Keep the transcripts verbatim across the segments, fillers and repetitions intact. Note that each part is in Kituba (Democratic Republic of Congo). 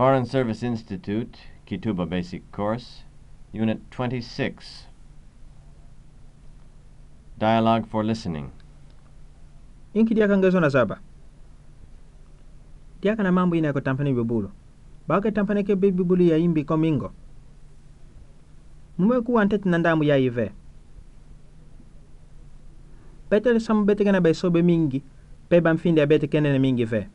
Foreign Service Institute, Kituba Basic Course, Unit twenty-six. Dialogue for listening. Inki diaka nge zona zaba? Diaka na mambu ine ako tampene bibulu. Bake tampeneke bibulu ya imbi ko mingo. Mume ku wantete na ndamu ya ive. Petele samu beteke na baisobe mingi, pe bamfinde ya beteke nene mingi ve.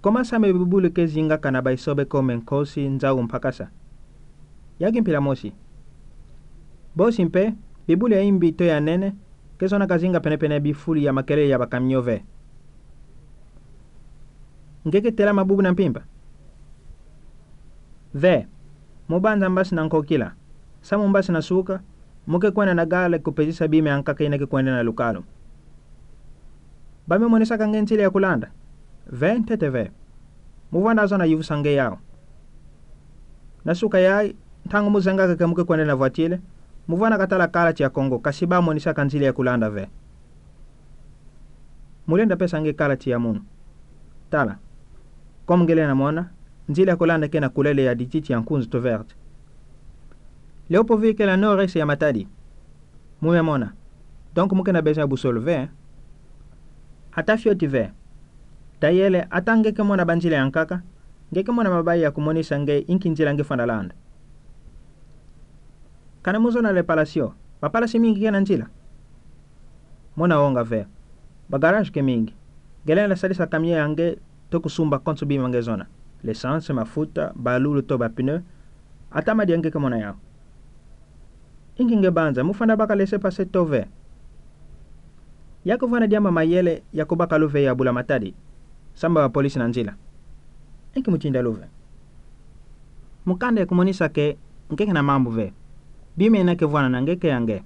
Ko masame bibulu ke zingaka na baisobe kome nkosi, nzau mpakasa. Ya ki mpila mosi. Bosi mpe, bibulu ya imbi to ya nene, ke zona ka zinga penepene bifuli ya makelele ya bakamio ve. Nge ke tela mabubu na mpimpa? Ve, mubanza mbasi na nkokila. Samu mbasi na suka, muke kwenda na gale kupezisa bima ya nkaka ina ke kwenda na lukalu. Ba me monisaka nge nzila ya kulanda? Ve, ntete ve. Muvwanda zona yuvisa nge yau. Na suka ya, ntangu muzengaka ke muke kwenda na vwatile, muvwanda katala kalati ya Kongo, kasi ba monisaka nzila ya kulanda ve. Mulenda pesa nge kalati ya munu. Tala. Comme nge lenda mona, nzila ya kulanda ke na kulele ya dititi ya nkunzu to verte. Leo po vi ke la nord-est ya matadi. Mume mona. Donc muke na besoin ya boussole ve. Ata fioti ve. Tayele, ata nge ke mona banzila ya nkaka, nge ke mona mabayi ya kumonisa nge inki nzila nge fwana landa. Kana muzona le Palacio, bapalasi mingi ke na nzila. Mona onga ve. Bagarage ke mingi. Nge lenda sadisa kamio ya nge to kusumba konso bima nge zona. L'essence, mafuta, balulu to bapneu. Ata madia nge ke mona yau. Inki nge banza, mufwanda baka laissez-passer to ve. Ya kuvwanda diamba mayele ya kubaka luve ya bula matadi. Samu bapolisi na nzila. Inki mutinda luve. Mukanda ya kumonisa ke nge ke na mambu ve. Bima ina ke vwana na nge ke ya nge.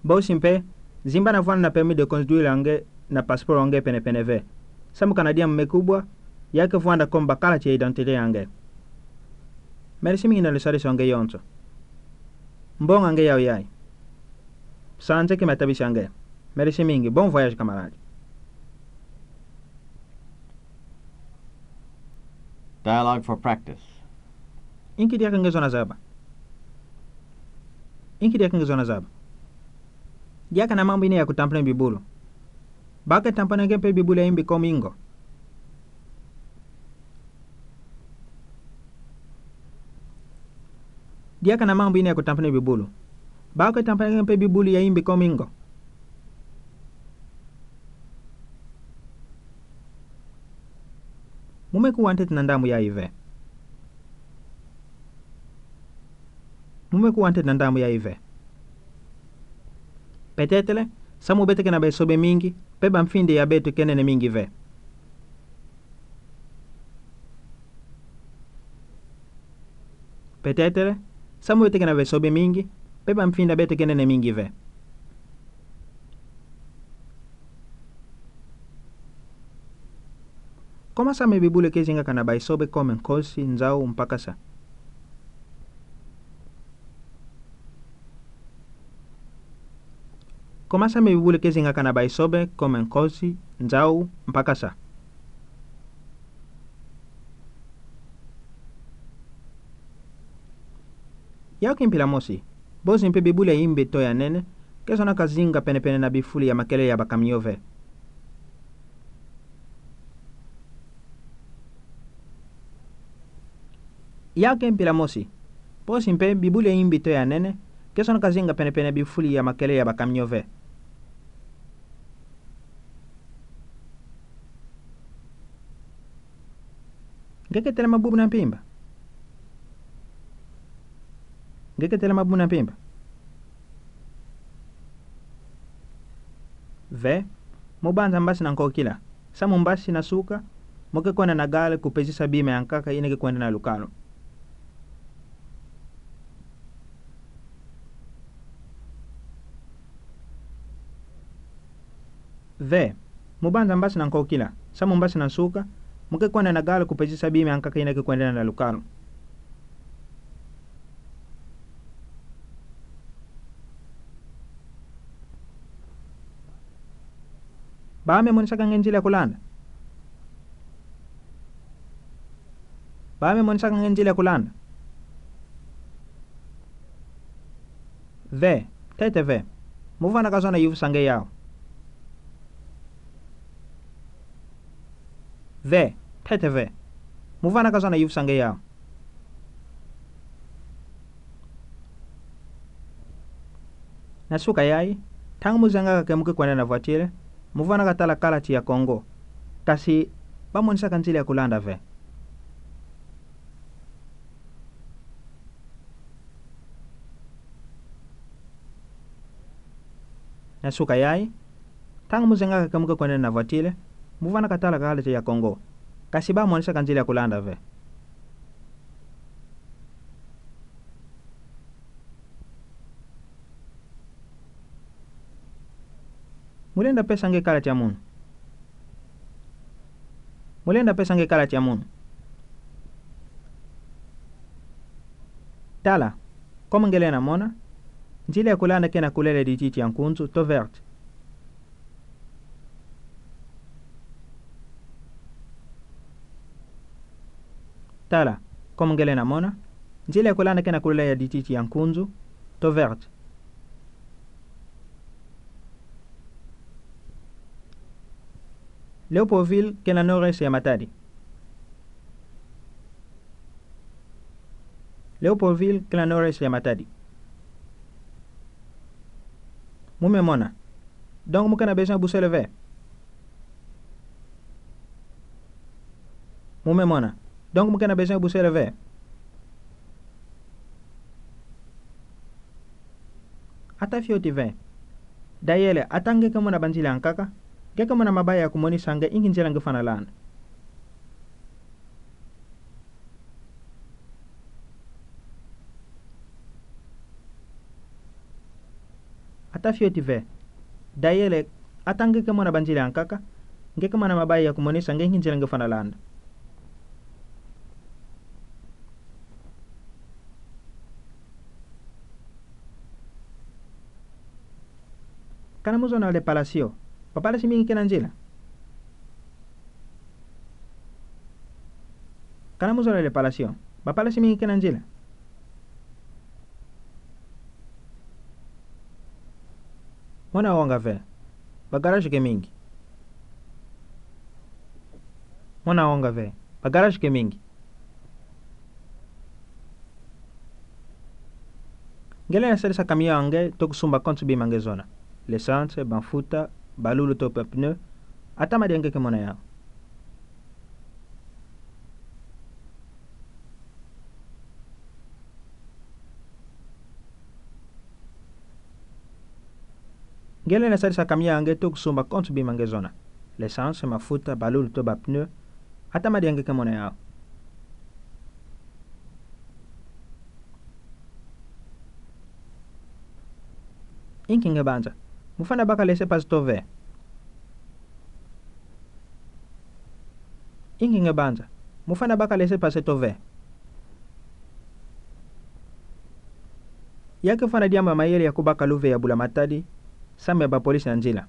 Bosi mpe, zimba na vwanda na permis de conduire ya nge na passeport ya nge penepene ve. Samu kana diamba me kubwa, ya ke vwanda comme bakalati ya identité ya nge. Merci mingi na le sadisi ya nge yonso. Mbonga nge yau yayi. Sanze ki matabisi ya nge. Merci mingi. Bon voyage, camarade. Dialogue for practice. Inki diaka nge zona zaba? Inki diaka nge zona zaba? Diaka na mambu ine ya kutampene bibulu. Bake tampeneke mpe bibulu ya imbi ko mingo. Diaka na mambu ine ya kutampene bibulu. Bake tampeneke mpe bibulu ya imbi ko mingo. Mume ku wantete na ndamu ya ive. Mume ku wantete na ndamu ya ive. Petetele, samu beteke na baisobe mingi, pe bamfinde ya beto ke nene mingi ve. Petetele, samu beteke na baisobe mingi, pe bamfinde ya beto ke nene mingi ve. Ko masame bibulu ke zingaka na baisobe comme nkosi, nzau, mpakasa. Ko masame bibulu ke zingaka na baisobe comme nkosi, nzau, mpakasa. Ya ki mpila mosi. Bosi mpe bibulu ya imbi to ya nene, ke zona ka zinga penepene na bifuli ya makelele ya bakamio ve. Ya ki mpila mosi. Bosi mpe bibulu ya imbi to ya nene, ke zona ka zinga penepene bifuli ya makelele ya bakamio ve. Nge ke tela mabubu na mpimpa? Nge ke tela mabubu na mpimpa? Ve, mubanza mbasi na nkokila. Samu mbasi na suka, muke kwenda na gale kupezisa bima ya nkaka ina ke kwenda na lukalu. Ve, mubanza mbasi na nkokila, samu mbasi na suka, muke kwenda na gale kupezisa bima ya nkaka ina ke kwenda na lukalu. Ba me monisaka nge nzila ya kulanda? Bame monisaka nge nzile ya kulanda. Ve, tete ve. Movanaka zona yuvusa nge yao. Ve, tete ve. Movanaka zona yuvusa nge yao. Nasuka yayi, ntangu muzengaka ke muke kwenda na voiture, movanaka tala kalati ya Congo. Kasi, ba monisaka nzile ya kulanda ve. Nasuka yayi, ntangu muzengaka ke muke kwenda na voiture, movanaka tala kalati ya Congo. Kasi ba monisaka nzile ya kulanda ve. Mulenda pesa nge kalati ya munu. Mulenda pesa nge kalati ya munu. Tala, comme nge lenda mona, nzile ya kulanda kena couleur ya dititi ya nkunzu, to verte. Tala, comme nge lenda mona, nzile ya kulanda kena couleur ya dititi ya nkunzu, to verte. Leopoldville kena nord-est ya Matadi. Leopoldville kena nord-est ya Matadi. Mu me mona. Donc mu kena besoin boussole ve. Mu me mona. Donc mu kena besoin boussole ve. Ata fioti ve. Dayele, ata nge ke mona banzila nkaka, nge ke mona mabaya ya kumonisa nge inki nzila nge fana landa. Ata fioti ve. Dayele, ata nge ke mona banzila nkaka, nge ke mona mabaya ya kumonisa nge inki nzila nge fana landa. Kana muzona le Palacio. Ba palace mingi kena nzila. Kana muzona le Palacio. Ba palace mingi kena nzila. Mona wonga ve. Ba garage ke mingi. Mona wonga ve. Ba garage ke mingi. Nge lenda sadisa camion ya nge, toko sumba konso bima nge zona. L'essence, ba mafuta, ba lulu to ba pneu, ata madia nge ke mona yao. Nge lenda sadisa camion ya nge, toko sumba konso bima nge zona. L'essence, mafuta, ba lulu to ba pneu, ata madia nge ke mona yao. Inki nge banza. Mufana baka laissez-passer to ve. Inki nge banza. Mufana baka laissez-passer to ve. Ya ke fana diambu ya mayele ya kubaka luve ya bula Matadi, samu ya ba police na nzila.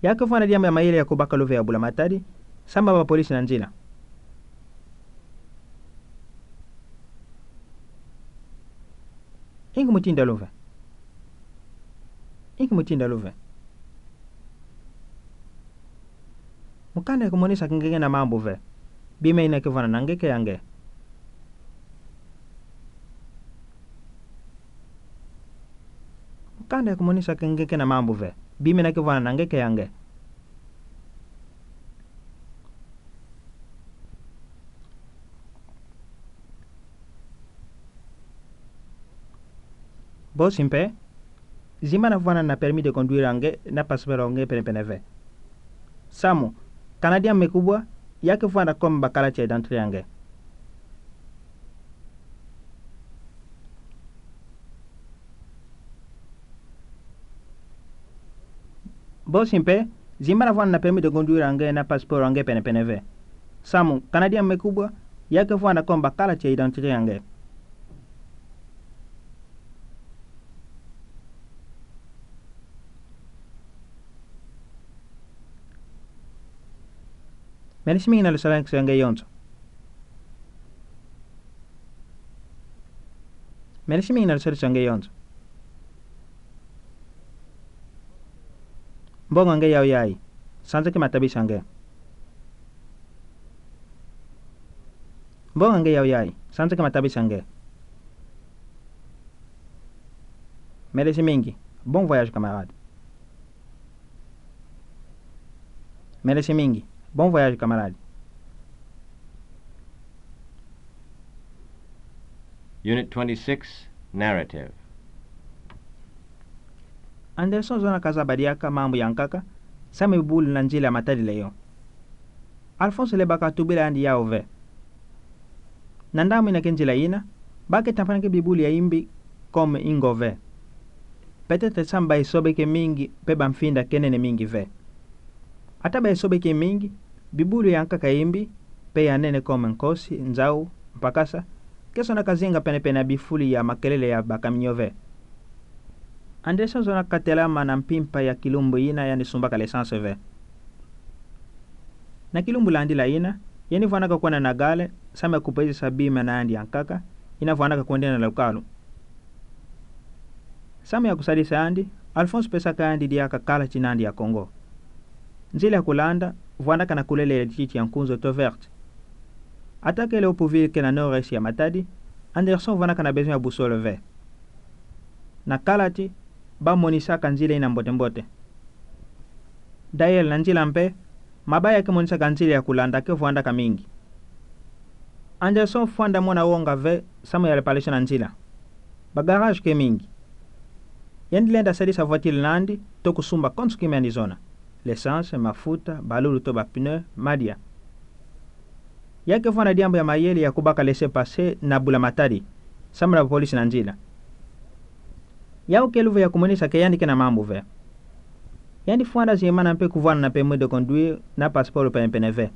Ya ke fana diambu ya mayele ya kubaka luve ya bula Matadi, samu ya ba police na nzila. Inki mutinda luve. Inki mutinda luve. Mukanda ya kumonisa ke nge kena mambu ve. Bima ina ke vana na nge ke ya nge. Mukanda ya kumonisa ke nge kena mambu ve. Bima ina ke vana na nge ke ya nge. Bosi mpe, zimbana vana na permis de conduire ya nge na passeport ya nge penepene ve. Samu, kana diambu me kubwa, ya ke vana comme ba carte d'identité ya nge. Bosi mpe, zimbana vana na permis de conduire ya nge na passeport ya nge penepene ve. Samu, kana diambu me kubwa, ya ke vana comme ba carte d'identité ya nge. Meresi mingi na lusalaki ya nge yonso. Meresi mingi na lusalaki ya nge yonso. Mbongo nge yau yayi, sanzaki matabisi ya nge. Mbongo nge yau yayi, sanzaki matabisi ya nge. Meresi mingi. Bon voyage, camarade. Meresi mingi. Bon voyage, camarade. Unit twenty-six, narrative. Anderson zona kazaba diaka mambu yankaka, samu bibulu na nzila matadila yo. Alphonse lebaka tubila yandi yau ve. Na ndamwina ke nzila ina, bake tampanake bibulu ya imbi comme ingo ve. Peut-être samu bayisobeke mingi pe bamfinda kenene mingi ve. Ata bayisobeke mingi, bibulu yankaka ya imbi, pe ya nene comme nkosi, nzau, mpakasa, ke sonaka zinga penepene ya bifulu ya makelele ya bacamion ve. Anderson zona katelama na mpimpa ya kilumbu ina yandi sumbaka l'essence ve. Na kilumbu landila ina, yandi vwanaka kwenda na gare, samu ya kupezisa bima na yandi yankaka, ina vwanaka kwendena na lukalu. Samu ya kusadisa yandi, Alphonse pesaka yandi diaka kalati na yandi ya Congo. Nzila ya kulanda, vwanaka na kulele ya titi ya nkunzu, taux vert. Ata kele au pvili ke na nord-est ya matadi, Anderson vwanaka na besoin ya boussole ve. Na kalati, bamonisaka nzila ina mbote-mbote. D'ailleurs na nzila mpe, mabaya ke monisaka nzila ya kulanda ke vwandaka mingi. Anderson fwanda mona wonga ve samu ya réparation na nzila. Ba garage ke mingi. Yandi lenda sadisa voiture nandi, to kusumba konso kima yandi zona. L'essence, mafuta, balulu to ba pneu, madia. Ya ke vwanda diambu ya mayele ya kubaka laissez-passer na bula matadi, samu na bapolisi na nzila. Yau ke luve ya kumonisa ke yandi kena mambu ve. Yandi fwanda zimana mpe kuvwanda na permis de conduire na passeport penepene ve.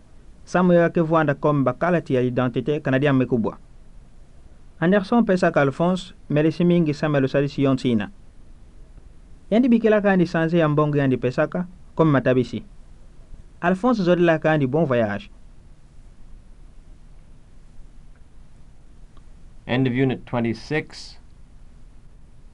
Samu ya ke vwanda comme ba kalati ya identité kana diambu me kubwa. Anderson pesaka Alphonse, meresi mingi samu ya lusadisi yonso ina. Yandi bikilaka yandi sanze ya mbongo yandi pesaka, comme matabisi. Alphonse zodelaka yandi bon voyage. End of Unit twenty-six,